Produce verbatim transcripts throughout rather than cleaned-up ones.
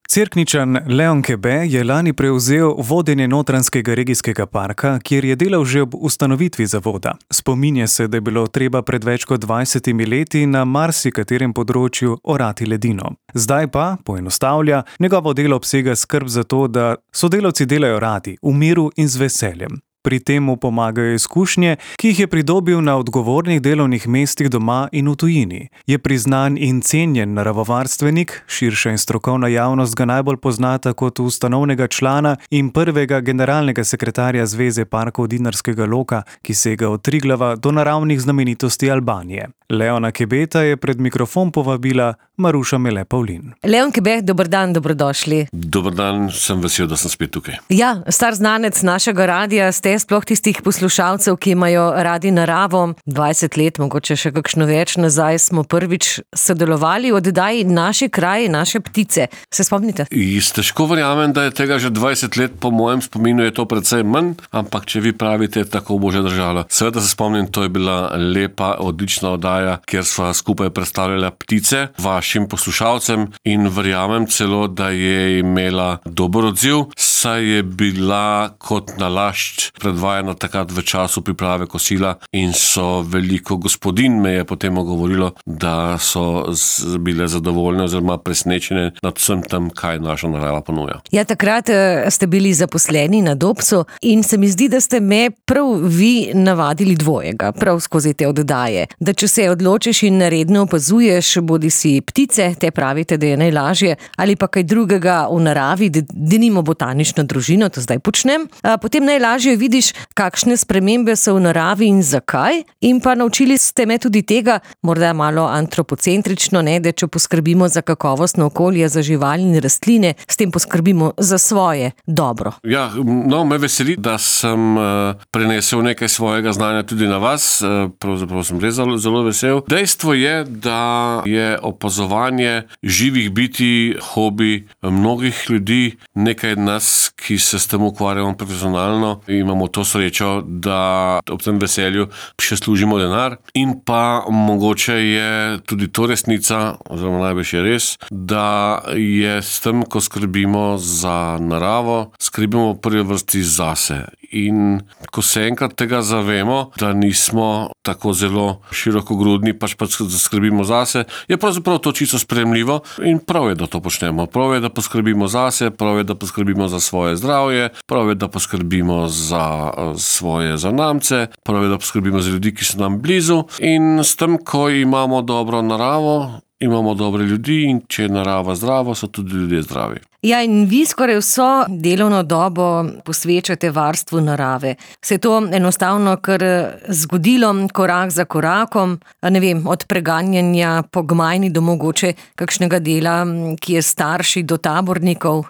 Cerkničan Leon Kebe je lani prevzel vodenje Notranjskega regijskega parka, kjer je delal že ob ustanovitvi zavoda. Spominja se, da je bilo treba pred več kot dvajsetimi leti na marsikaterem področju orati ledino. Zdaj pa, poenostavlja, njegovo delo obsega skrb za to, da sodelavci delajo radi, v miru in z veseljem. Pri tem mu pomagajo izkušnje, ki jih je pridobil na odgovornih delovnih mestih doma in v tujini. Je priznan in cenjen naravovarstvenik, širša in strokovna javnost ga najbolj poznata kot ustanovnega člana in prvega generalnega sekretarja Zveze parkov Dinarskega loka, ki sega od Triglava do naravnih znamenitosti Albanije. Leona Kebeta je pred mikrofon povabila Maruša Mele Pavlin. Leon Kebe, dober dan, dobrodošli. Dober dan, sem vesel, da sem spet tukaj. Ja, star znanec našega radija, ste sploh tistih poslušalcev, ki imajo radi naravo. dvajset let, mogoče še kakšno več nazaj, smo prvič sodelovali v oddaji Naši kraji, naše ptice. Se spomnite? Jaz težko verjamem, da je tega že dvajset let, po mojem spominu je to precej manj, ampak če vi pravite, tako bo že držalo. Seveda se spomnim, to je bila lepa, odlična oddaja, kjer sva skupaj predstavljala ptice vašim poslušalcem in verjamem celo, da je imela dober odziv, saj je bila kot nalašč predvajana takrat v času priprave kosila in so veliko gospodin me je potem govorilo, da so bile zadovoljne oziroma presnečene nad vsem tam, kaj naša narava ponuja. Ja, takrat ste bili zaposleni na Dobsu in se mi zdi, da ste me prav vi navadili dvojega, prav skozi te oddaje. Da če se odločiš in redno opazuješ, bodi si ptice, te pravite, da je najlažje, ali pa kaj drugega v naravi, denimo botanično družino, to zdaj počnem, potem najlažje vidiš, kakšne spremembe so v naravi in zakaj, in pa naučili ste me tudi tega, morda malo antropocentrično, ne, da če poskrbimo za kakovostno okolje, za živali in rastline, s tem poskrbimo za svoje dobro. Ja, no, me veseli, da sem uh, prenesel nekaj svojega znanja tudi na vas, uh, pravzaprav sem res zelo, zelo vesel. Dejstvo je, da je opazovanje živih bitij hobi mnogih ljudi, nekaj nas, ki se s tem ukvarjamo profesionalno, imamo to srečo, da ob tem veselju še služimo denar in pa mogoče je tudi to resnica, oziroma najbolj je res, da je s tem, ko skrbimo za naravo, skrbimo v prvi vrsti zase. In ko se enkrat tega zavemo, da nismo tako zelo širokogrudni, pač pa skrbimo zase, je pravzaprav to čisto sprejemljivo in prav je, da to počnemo. Prav je, da poskrbimo zase, prav je, da poskrbimo za svoje zdravje, prav je, da poskrbimo za svoje zanamce, prav je, da poskrbimo za ljudi, ki so nam blizu in s tem, ko imamo dobro naravo, imamo dobre ljudi in če je narava zdrava, so tudi ljudje zdravi. Ja, in vi skoraj vso delovno dobo posvečate varstvu narave. Se je to enostavno kar zgodilo korak za korakom, ne vem, od preganjanja po gmajni do mogoče kakšnega dela, ki je starši, do tabornikov?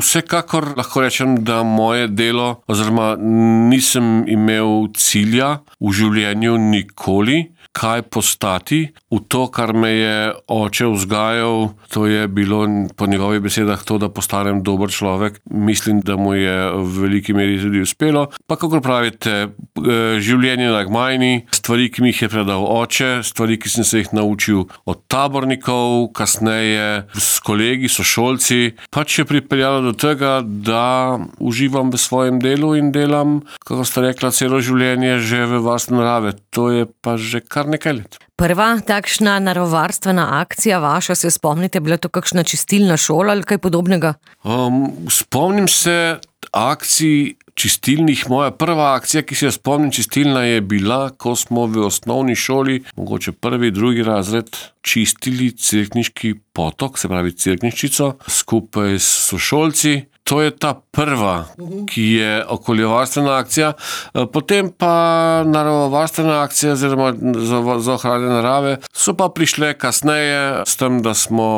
Vsekakor lahko rečem, da moje delo, oziroma nisem imel cilja v življenju nikoli, kaj postati. V to, kar me je oče vzgajal, to je bilo po njegovih besedah to, da postanem dober človek. Mislim, da mu je v veliki meri tudi uspelo. Pa kakor pravite, življenje na gmajni, stvari, ki mi jih je predal oče, stvari, ki sem se jih naučil od tabornikov, kasneje s kolegi, sošolci, pač je pripeljalo do tega, da uživam v svojem delu in delam, kako ste rekla, celo življenje že v varstvu narave. To je pa že kar nekaj let. Prva takšna naravovarstvena akcija vaša, se spomnite, bila to kakšna čistilna šola ali kaj podobnega? Um, spomnim se akcij čistilnih. Moja prva akcija, ki se jo spomnim čistilna, je bila, ko smo v osnovni šoli, mogoče prvi, drugi razred, čistili Cerkniški potok, se pravi Cerkniščico, skupaj s sošolci. To je ta prva, ki je okoljevarstvena akcija. Potem pa naravovarstvena akcija oziroma za, za ohranjanje narave so pa prišle kasneje s tem, da smo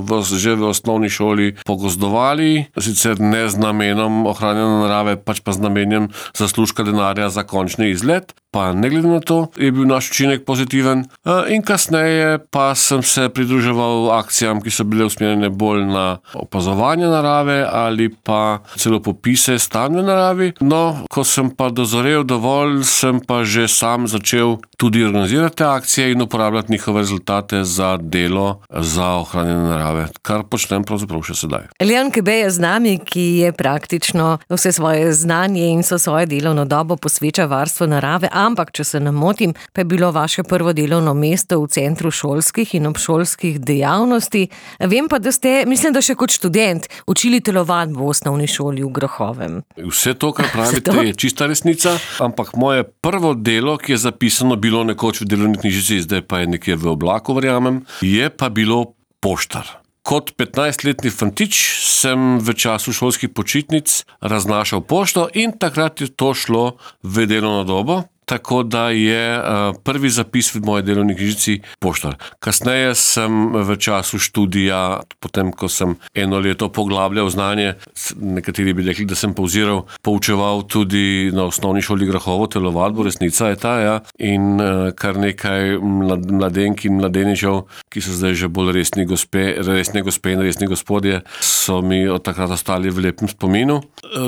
v, že v osnovni šoli pogozdovali, sicer ne z namenom ohranjanja narave, pač pa z namenom zaslužka denarja za končni izlet. pa ne glede na to, je bil naš učinek pozitiven. In kasneje pa sem se pridruževal akcijam, ki so bile usmerjene bolj na opazovanje narave ali pa celo popise stanja naravi. No, ko sem pa dozorel dovolj, sem pa že sam začel tudi organizirati te akcije in uporabljati njihove rezultate za delo za ohranjanje narave, kar počnem pravzaprav še sedaj. Leon Kebe je z nami, ki je praktično vse svoje znanje in so svoje delovno dobo posveča varstvu narave, ampak, če se ne motim, pa je bilo vaše prvo delovno mesto v Centru šolskih in obšolskih dejavnosti. Vem pa, da ste, mislim, da še kot študent, učili telovadbo v osnovni šoli v Grahovem. Vse to, kar pravite, je čista resnica, ampak moje prvo delo, ki je zapisano bilo nekoč v delovni knjižici, zdaj pa je nekje v oblaku, verjamem, je pa bilo poštar. Kot petnajstletni fantič sem v času šolskih počitnic raznašal pošto in takrat je to šlo v delovno dobo. Tako da je prvi zapis v moji delovni knjižici poštar. Kasneje sem v času študija, potem ko sem eno leto poglabljal znanje, nekateri bi rekli, da sem povziral, poučeval tudi na osnovni šoli Grahovo telovadbo, resnica je ta, ja. In kar nekaj mladenk in mladeničev, ki so zdaj že bolj resni gospe, resne gospe in resni gospodje, so mi od takrat ostali v lepem spominu.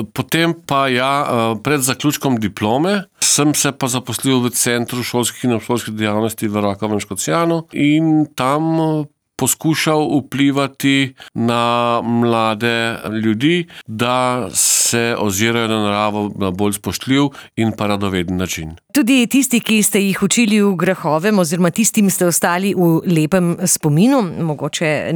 Potem pa ja, pred zaključkom diplome sem se pa zaposlil v Centru šolskih in obšolskih dejavnosti v Rakovem Škocjanu in tam poskušal vplivati na mlade ljudi, da se ozirajo na naravo na bolj spoštljiv in pa radoveden način. Tudi tisti, ki ste jih učili v Grahovem, oziroma tistim ste ostali v lepem spominu, mogoče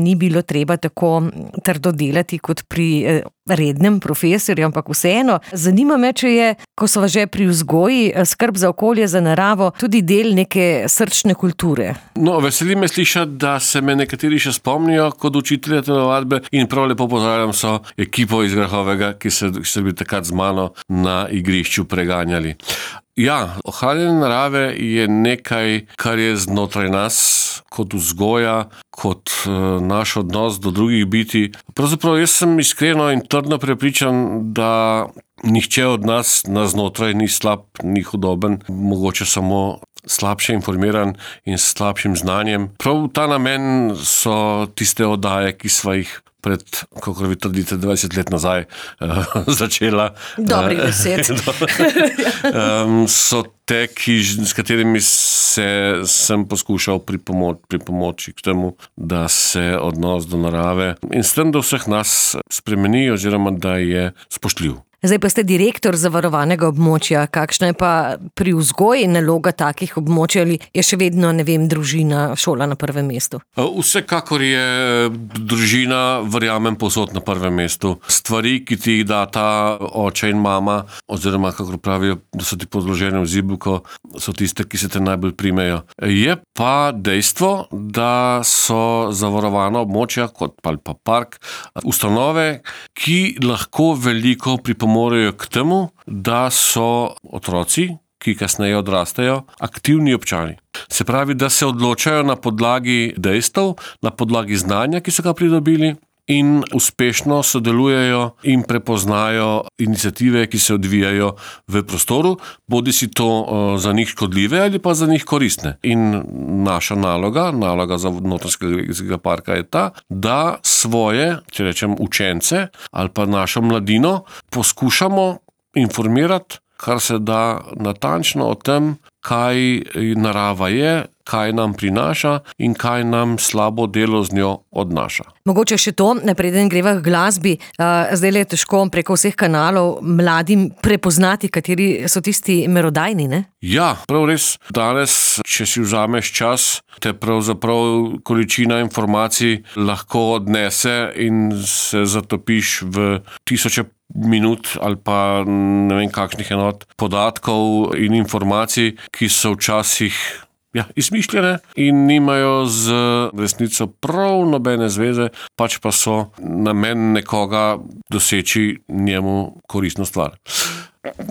ni bilo treba tako trdo delati kot pri rednem profesorju, ampak vseeno. Zanima me, če je, ko so že pri vzgoji, skrb za okolje, za naravo, tudi del neke srčne kulture. No, veseli me slišati, da se me nekateri še spomnijo kot učitelja telovadbe in prav lepo pozdravljam so ekipo iz Grahovega, ki so, ki so bili takrat z mano na igrišču preganjali. Ja, ohranjanje narave je nekaj, kar je znotraj nas, kot vzgoja, kot uh, naš odnos do drugih bitij. Pravzaprav jaz sem iskreno in trdno prepričan, da nihče od nas na znotraj ni slab, ni hudoben, mogoče samo slabše informiran in s slabšim znanjem. Prav ta namen so tiste oddaje, ki sva jih pred, kako vi trdite, dvajset let nazaj uh, začela. Dobrih deset. um, so te, ki, s katerimi se sem poskušal pripomoč, pripomoči k temu, da se odnos do narave in s tem do vseh nas spremeni oziroma da je spoštljiv. Zdaj pa ste direktor zavarovanega območja. Kakšna je pa pri vzgoji naloga takih območij ali je še vedno, ne vem, družina, šola na prvem mestu? Vsekakor je družina, verjamem, povsod na prvem mestu. Stvari, ki ti jih data oče in mama, oziroma kako pravijo, da so ti podložene v zibuko, so tiste, ki se te najbolj primejo. Je pa dejstvo, da so zavarovana območja, kot pa park, ustanove, ki lahko veliko pripomočajo morajo k temu, da so otroci, ki kasneje odrastejo, aktivni občani. Se pravi, da se odločajo na podlagi dejstev, na podlagi znanja, ki so ga pridobili in uspešno sodelujejo in prepoznajo iniciative, ki se odvijajo v prostoru, bodi si to za njih škodljive ali pa za njih koristne. In naša naloga, naloga za Notranjskega regijskega parka je ta, da svoje, če rečem, učence ali pa našo mladino poskušamo informirati, kar se da natančno o tem, kaj narava je, kaj nam prinaša in kaj nam slabo delo z njo odnaša. Mogoče še to, preden greva k glasbi, zdaj je težko preko vseh kanalov mladim prepoznati, kateri so tisti merodajni, ne? Ja, prav res. Danes, če si vzameš čas, te pravzaprav količina informacij lahko odnese in se zatopiš v tisoče minut ali pa ne vem kakšnih enot podatkov in informacij, ki so včasih Ja, izmišljene in nimajo z resnico prav nobene zveze, pač pa so namen nekoga doseči njemu koristno stvar.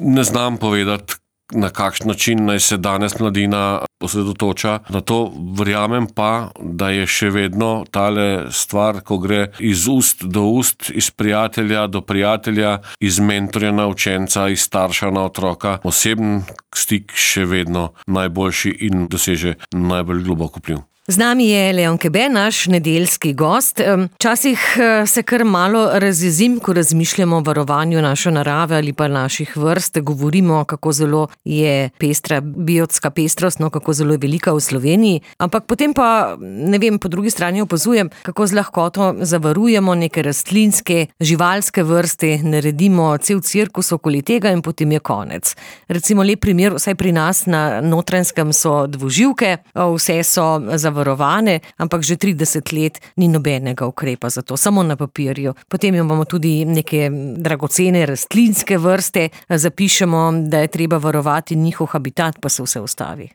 Ne znam povedati, na kakšen način naj se danes mladina osredotoča. Na to verjamem pa, da je še vedno tale stvar, ko gre iz ust do ust, iz prijatelja do prijatelja, iz mentorja na učenca, iz starša na otroka, osebni stik še vedno najboljši in doseže najbolj globok vpliv. Z nami je Leon Kebe, naš nedeljski gost. Včasih se kar malo razjezim, ko razmišljamo o varovanju naše narave ali pa naših vrst. Govorimo, kako zelo je pestra biotska pestrost, no, kako zelo je velika v Sloveniji. Ampak potem pa, ne vem, po drugi strani opazujem, kako z lahkoto zavarujemo neke rastlinske, živalske vrste, naredimo cel cirkus okoli tega in potem je konec. Recimo lep primer, vsaj pri nas na Notranjskem so dvoživke, vse so zavarovane, varovane, ampak že trideset let ni nobenega ukrepa za to, samo na papirju. Potem imamo tudi neke dragocene rastlinske vrste, zapišemo, da je treba varovati njihov habitat, pa se vse ustavi.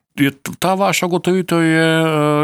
Ta vaša ugotovitev je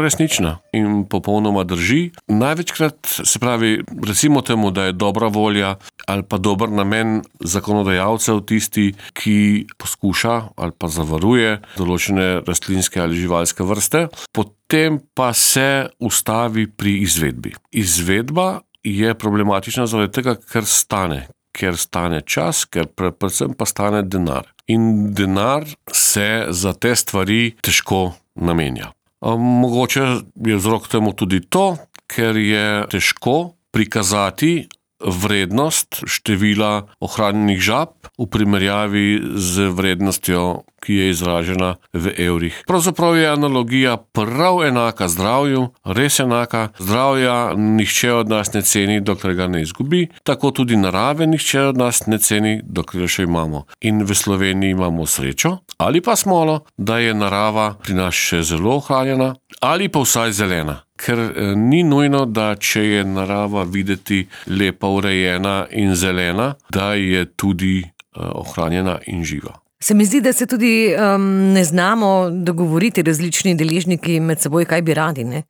resnična in popolnoma drži. Največkrat, se pravi, recimo temu, da je dobra volja ali pa dober namen zakonodajalcev tisti, ki poskuša ali pa zavaruje določene rastlinske ali živalske vrste, potem pa se ustavi pri izvedbi. Izvedba je problematična zaradi tega, ker stane. ker stane čas, ker predvsem pa stane denar. In denar se za te stvari težko namenja. Mogoče je vzrok temu tudi to, ker je težko prikazati vrednost števila ohranjenih žab v primerjavi z vrednostjo, ki je izražena v evrih. Pravzaprav je analogija prav enaka zdravju, res enaka. Zdravja nihče od nas ne ceni, dokler ga ne izgubi, tako tudi narave nihče od nas ne ceni, dokler še imamo. In v Sloveniji imamo srečo ali pa smolo, da je narava pri nas še zelo ohranjena ali pa vsaj zelena. Ker ni nujno, da če je narava videti lepa, urejena in zelena, da je tudi ohranjena in živa. Se mi zdi, da se tudi um, ne znamo dogovoriti različni deležniki med seboj, kaj bi radi, ne?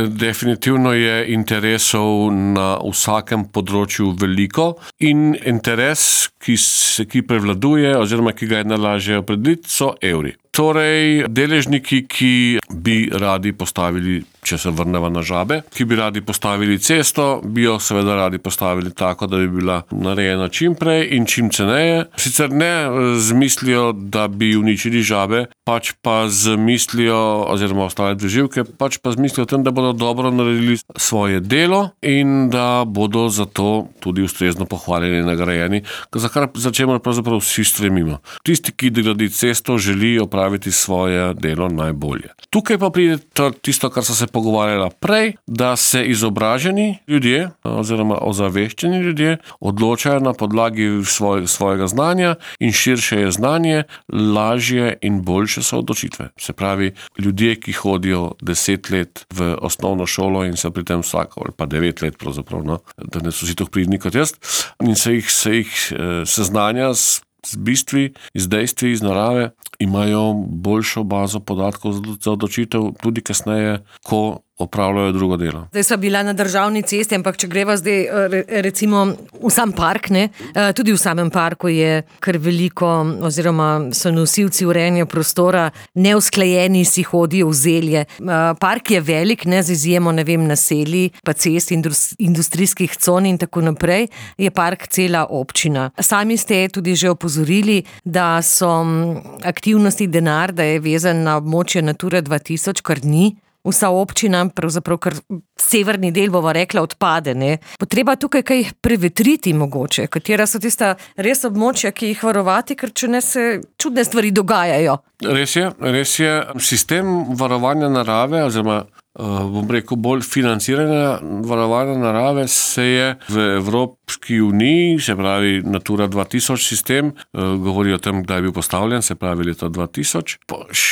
Definitivno je interesov na vsakem področju veliko in interes, ki, se, ki prevladuje oziroma ki ga je najlažje opredeliti, so evri. Torej, deležniki, ki bi radi postavili, če se vrnemo na žabe, ki bi radi postavili cesto, bi jo seveda radi postavili tako, da bi bila narejena čim prej in čim ceneje. Sicer ne z mislijo, da bi uničili žabe, pač pa z mislijo, oziroma ostale doživke, pač pa z mislijo o tem, da bodo dobro naredili svoje delo in da bodo zato tudi ustrezno pohvaljeni in nagrajeni, za kar začemo pravzaprav vsi stremimo. Tisti, ki gradi cesto, želi opraviti svoje delo najbolje. Tukaj pa pride tisto, kar so se pogovarjala prej, da se izobraženi ljudje oziroma ozaveščeni ljudje odločajo na podlagi svoj, svojega znanja in širše je znanje, lažje in boljše so odločitve. Se pravi, ljudje, ki hodijo deset let v osnovno šolo in se pri tem vsako, ali pa devet let pravzaprav, no, da ne so vsi toh pridni kot jaz, in se jih, se jih seznanja s, z bistvi, z dejstvi, iz narave, imajo boljšo bazo podatkov za odločitev tudi kasneje, ko opravljajo drugo delo. Zdaj sva bila na državni cesti, ampak če greva zdaj recimo v sam park, ne? Tudi v samem parku je kar veliko, oziroma so nosilci urejanja prostora neusklajeni, si hodijo v zelje. Park je velik, ne, z izjemo, ne vem, naselij, pa cest, industrijskih con in tako naprej, je park cela občina. Sami ste tudi že opozorili, da so aktivnosti denar, da je vezan na območje Natura dva tisoč, kar ni. Vsa občina, pravzaprav kar severni del, bova rekla, odpade, ne. Potreba tukaj kaj prevetriti mogoče, katera so tista res območja, ki jih varovati, ker če ne se čudne stvari dogajajo. Res je, res je. Sistem varovanja narave, oziroma bom rekel, bolj financiranja varovanja narave se je v Evropski uniji, se pravi Natura dva tisoč sistem, govori o tem, kdaj je bil postavljen, se pravi leta dva tisoč,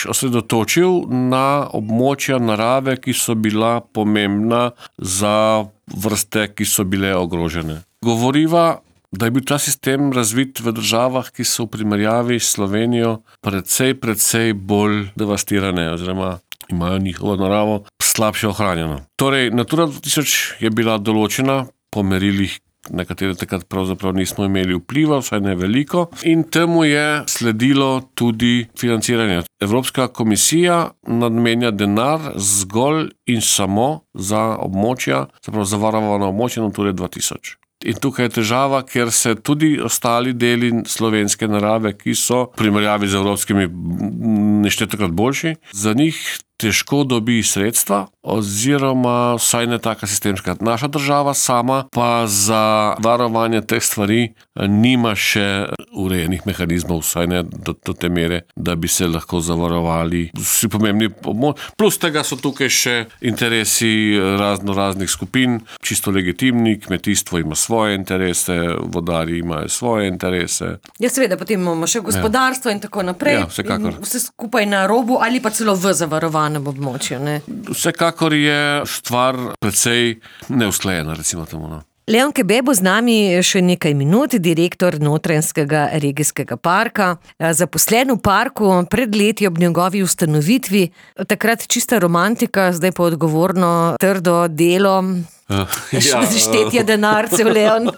osredotočil na območja narave, ki so bila pomembna za vrste, ki so bile ogrožene. Govoriva, da je bil ta sistem razvit v državah, ki so v primerjavi s Slovenijo precej, precej bolj devastirane, oziroma imajo njihovo naravo slabše ohranjeno. Torej, Natura dva tisoč je bila določena po merilih, na katere takrat pravzaprav nismo imeli vpliva, vsaj ne veliko. In temu je sledilo tudi financiranje. Evropska komisija namenja denar zgolj in samo za območja, zapravo zavarovana območja Nature dva tisoč. In tukaj je težava, ker se tudi ostali deli slovenske narave, ki so v primerjavi z evropskimi neštetokrat boljši, za njih težko dobi sredstva, oziroma vsaj ne taka sistemska. Naša država sama pa za varovanje teh stvari nima še urejenih mehanizmov, vsaj ne do, do te mere, da bi se lahko zavarovali vsi pomembni. Plus tega so tukaj še interesi razno raznih skupin, čisto legitimni, kmetijstvo ima svoje interese, vodarji imajo svoje interese. Ja, seveda, potem imamo še gospodarstvo ja. in tako naprej. Ja, vsekakor. Vse skupaj na robu ali pa celo v zavarovanju. Območju, ne? Vsekakor je stvar precej neusklajena, recimo temu. No. Leon Kebe bo z nami še nekaj minut, direktor Notranjskega regijskega parka. Zaposlen v parku pred leti ob njegovi ustanovitvi, takrat čista romantika, zdaj pa odgovorno trdo delo. Uh, ja, štetje denarcev, Leon.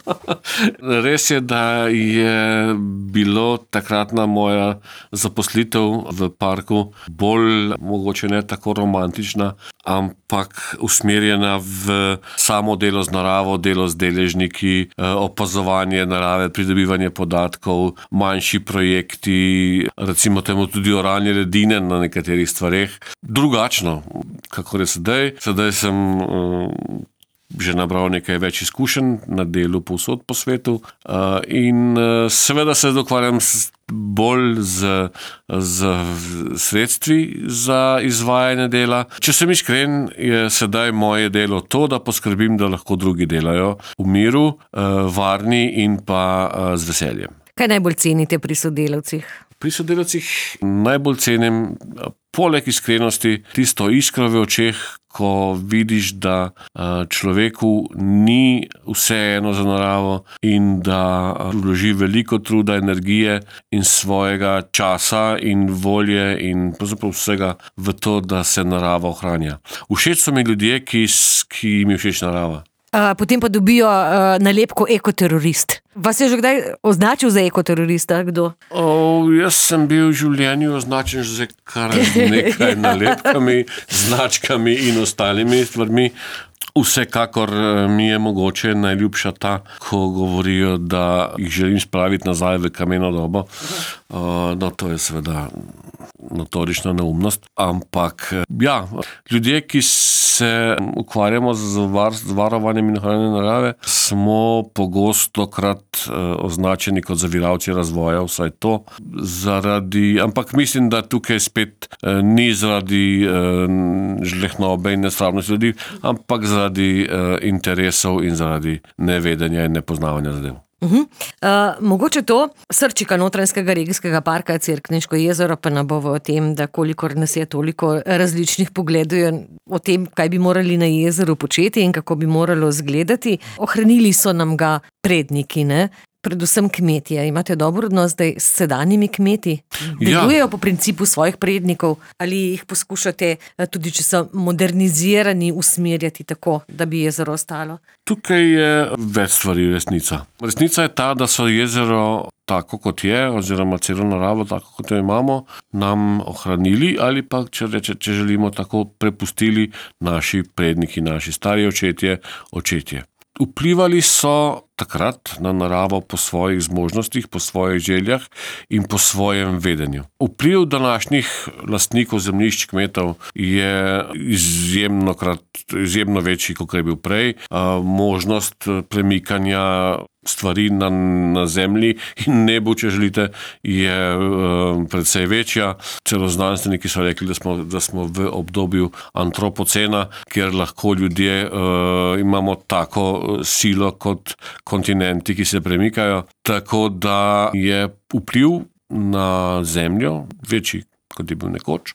Res je, da je bilo takratna moja zaposlitev v parku bolj, mogoče ne tako romantična, ampak usmerjena v samo delo z naravo, delo z deležniki, opazovanje narave, pridobivanje podatkov, manjši projekti, recimo temu tudi oranje ledine na nekaterih stvareh. Drugačno, kakor je sedaj. Sedaj sem uh, že nabral nekaj več izkušenj na delu povsod po svetu in seveda se dokvarjam bolj z, z sredstvi za izvajanje dela. Če sem iskren, je sedaj moje delo to, da poskrbim, da lahko drugi delajo v miru, varni in pa z veseljem. Kaj najbolj cenite pri sodelavcih? Pri sodelavcih najbolj cenim, poleg iskrenosti, tisto iskro v očeh, ko vidiš, da človeku ni vseeno za naravo in da vloži veliko truda, energije in svojega časa in volje in pravzaprav vsega v to, da se narava ohranja. Všeč so mi ljudje, ki, ki jim je všeč narava. Potem pa dobijo uh, nalepko ekoterorist. Vas je že kdaj označil za ekoterorista? Kdo? Oh, jaz sem bil v življenju označen za kar nekaj nalepkami, značkami in ostalimi stvarmi. Vsekakor mi je mogoče najljubša ta, ko govorijo, da jih želim spraviti nazaj v kameno dobo. Uh, no, to je seveda notorična neumnost, ampak ja, ljudje, ki se ukvarjamo z, var, z varovanjem in ohranjanjem narave, smo pogostokrat uh, označeni kot zaviralci razvoja, vsaj to, zaradi, ampak mislim, da tukaj spet uh, ni zaradi uh, žlehnobe in nesramnosti ljudi, ampak zaradi uh, interesov in zaradi nevedenja in nepoznavanja zadev. Uh-huh. Uh, mogoče to, srčika Notranjskega regijskega parka Cerkniško jezero, pa ne bo o tem, da kolikor nas je toliko različnih pogledov o tem, kaj bi morali na jezeru početi in kako bi moralo izgledati. Ohranili so nam ga predniki, ne? Predvsem kmetije. Imate dober odnos zdaj s sedanjimi kmeti? Delujejo ja. po principu svojih prednikov ali jih poskušate, tudi če so modernizirani, usmerjati tako, da bi jezero ostalo? Tukaj je več stvari resnica. Resnica je ta, da so jezero tako kot je, oziroma celo naravo tako kot jo imamo, nam ohranili ali pa, če, reče, če želimo, tako prepustili naši predniki, naši stari očetje, očetje. Vplivali so takrat na naravo po svojih zmožnostih, po svojih željah in po svojem vedenju. Vpliv današnjih lastnikov zemljišč kmetov je izjemno, krat, izjemno večji, kot je bil prej. Možnost premikanja stvari na, na zemlji in nebu, če želite, je uh, predvsej večja. Celo znanstveniki so rekli, da smo, da smo v obdobju antropocena, kjer lahko ljudje uh, imamo tako silo kot kontinenti, ki se premikajo. Tako da je vpliv na zemljo večji, kot je bil nekoč.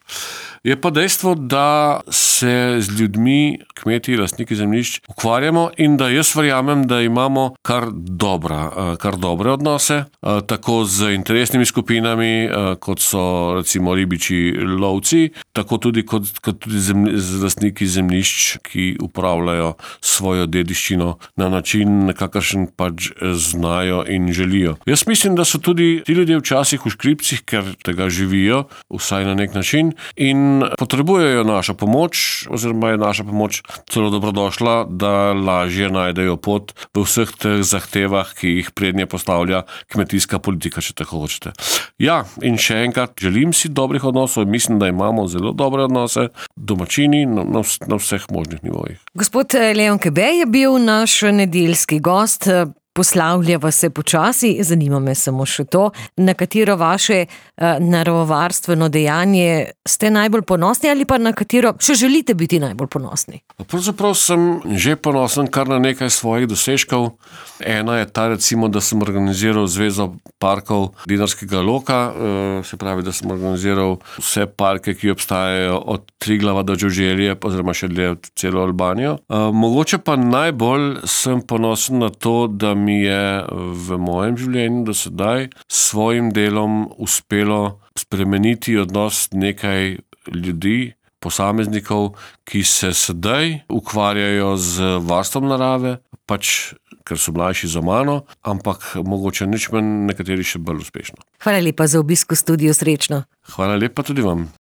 Je pa dejstvo, da se z ljudmi, kmeti, lastniki zemljišč ukvarjamo in da jaz verjamem, da imamo kar dobra, kar dobre odnose, tako z interesnimi skupinami, kot so recimo ribiči, lovci, tako tudi kot, kot tudi zemlj, z lastniki zemljišč, ki upravljajo svojo dediščino na način, kakršen pač znajo in želijo. Jaz mislim, da so tudi ti ljudje včasih v škripcih, ker tega živijo, vsaj na nek način, in potrebujejo našo pomoč, oziroma je naša pomoč celo dobrodošla, da lažje najdejo pot v vseh teh zahtevah, ki jih prednje postavlja kmetijska politika, če tako hočete. Ja, in še enkrat, želim si dobrih odnosov, mislim, da imamo zelo dobre odnose, domačini na, na, na vseh možnih nivojih. Gospod Leon Kebe je bil naš nedeljski gost. Poslavljava se počasi, zanima me samo še to, na katero vaše uh, naravovarstveno dejanje ste najbolj ponosni ali pa na katero še želite biti najbolj ponosni? Pravzaprav sem že ponosen kar na nekaj svojih dosežkov. Ena je ta, recimo, da sem organiziral Zvezo parkov Dinarskega loka, uh, se pravi, da sem organiziral vse parke, ki obstajajo od Triglava do Đurđelije, oziroma še dlje celo Albanijo. Uh, mogoče pa najbolj sem ponosen na to, da mi je v mojem življenju do sedaj s svojim delom uspelo spremeniti odnos nekaj ljudi, posameznikov, ki se sedaj ukvarjajo z varstvom narave, pač ker so mlajši za mano, ampak mogoče nič manj, nekateri še bolj uspešno. Hvala lepa za obisk v studiu, srečno. Hvala lepa tudi vam.